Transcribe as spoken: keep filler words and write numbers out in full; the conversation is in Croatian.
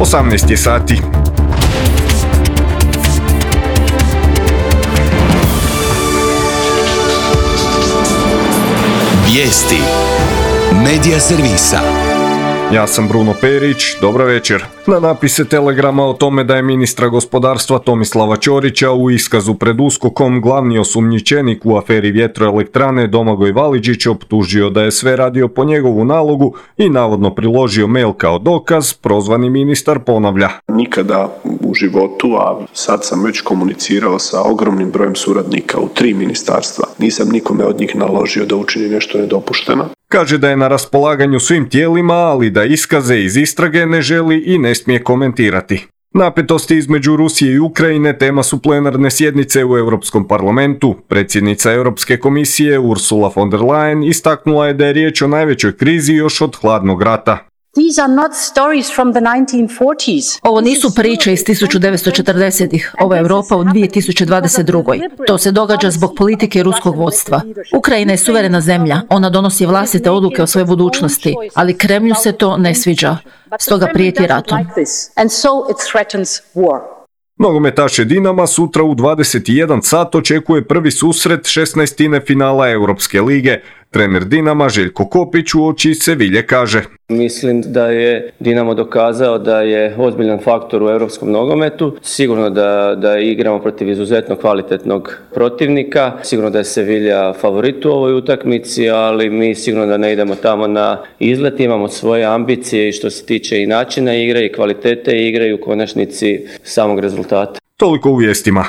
osamnaest je sati. Vijesti Medija servisa. Ja sam Bruno Perić, dobro večer. Na napise Telegrama o tome da je ministra gospodarstva Tomislava Ćorića u iskazu pred USKOK-om glavni osumnjičenik u aferi vjetroelektrane Domagoj Validžić optužio da je sve radio po njegovu nalogu i navodno priložio mail kao dokaz, prozvani ministar ponavlja. Nikada u životu, a sad sam već komunicirao sa ogromnim brojem suradnika u tri ministarstva. Nisam nikome od njih naložio da učini nešto nedopušteno. Kaže da je na raspolaganju svim tijelima, ali da iskaze iz istrage ne želi i ne smije komentirati. Napetosti između Rusije i Ukrajine tema su plenarne sjednice u Europskom parlamentu. Predsjednica Europske komisije Ursula von der Leyen istaknula je da je riječ o najvećoj krizi još od hladnog rata. These are not stories from the nineteen forties. Ovo nisu priče iz tisuću devetsto četrdesetih. Ovo je Europa u dvije tisuće dvadeset druge. To se događa zbog politike ruskog vodstva. Ukrajina je suverena zemlja. Ona donosi vlastite odluke o svojoj budućnosti, ali Kremlju se to ne sviđa. Stoga prijeti ratom. Nogometaše Dinama sutra u dvadeset jedan sat očekuje prvi susret šesnaestine finala Europske lige. Trener Dinama Željko Kopić uoči Sevilje kaže: Mislim da je Dinamo dokazao da je ozbiljan faktor u europskom nogometu. Sigurno da, da igramo protiv izuzetno kvalitetnog protivnika. Sigurno da je Sevilja favorit u ovoj utakmici, ali mi sigurno da ne idemo tamo na izlet. Imamo svoje ambicije i što se tiče i načina igre i kvalitete igre i u konačnici samog rezultata. Toliko u vijestima.